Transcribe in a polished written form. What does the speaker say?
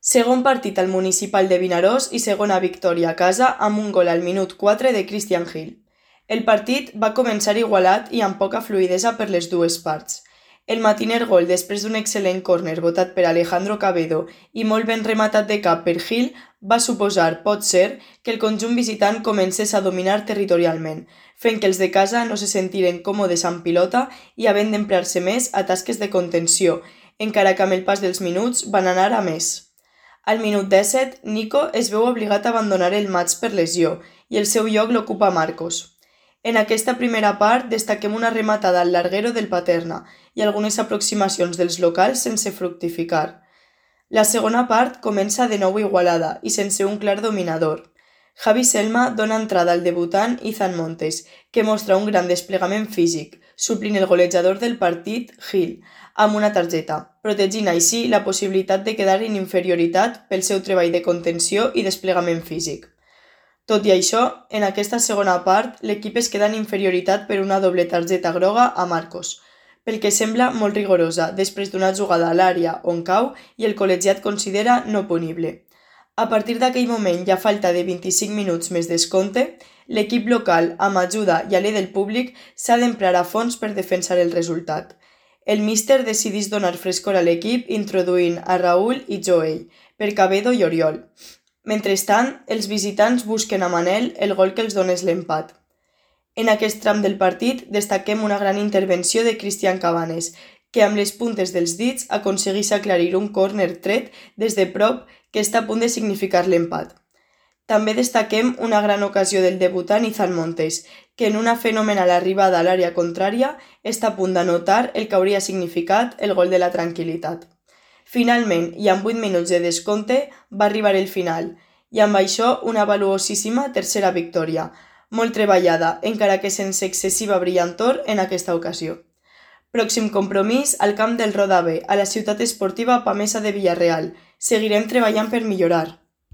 Segon partit al Municipal de Vinaròs i segona victòria a casa amb un gol al minut 4 de Christian Gil. El partit va començar igualat i amb poca fluïdesa per les dues parts. El matiner gol després d'un excel·lent córner votat per Alejandro Cabedo i molt ben rematat de cap per Gil va suposar, pot ser, que el conjunt visitant comencés a dominar territorialment, fent que els de casa no se sentiren còmodes amb pilota i havent d'emprar-se més a tasques de contenció, encara que amb el pas dels minuts van anar a més. Al minut 17, Nico es veu obligat a abandonar el matx per lesió i el seu lloc l'ocupa Marcos. En aquesta primera part destaquem una rematada al larguero del Paterna i algunes aproximacions dels locals sense fructificar. La segona part comença de nou igualada i sense un clar dominador. Javi Selma dona entrada al debutant Izan Montes, que mostra un gran desplegament físic, suplint el golejador del partit, Gil, amb una targeta, protegint així la possibilitat de quedar en inferioritat pel seu treball de contenció i desplegament físic. Tot i això, en aquesta segona part, l'equip es queda en inferioritat per una doble targeta groga a Marcos, pel que sembla molt rigorosa després d'una jugada a l'àrea on cau i el col·legiat considera no punible. A partir d'aquell moment i a falta de 25 minuts més descompte, l'equip local, amb ajuda i alè del públic, s'ha d'emprar a fons per defensar el resultat. El míster decideix donar frescor a l'equip introduint a Raúl i Joey, per Cabedo i Oriol. Mentrestant, els visitants busquen a Manel el gol que els donés l'empat. En aquest tram del partit destaquem una gran intervenció de Cristian Cabanes, que amb les puntes dels dits aconsegueix aclarir un córner tret des de prop que està a punt de significar l'empat. També destaquem una gran ocasió del debutant Izan Montes, que en una fenomenal arribada a l'àrea contrària està a punt d'anotar el que hauria significat el gol de la tranquil·litat. Finalment, i amb 8 minuts de descompte, va arribar el final, i amb això una valuosíssima tercera victòria, molt treballada, encara que sense excessiva brillantor en aquesta ocasió. Pròxim compromís al camp del Roda B, a la ciutat esportiva Pamesa de Villarreal. Seguirem treballant per millorar.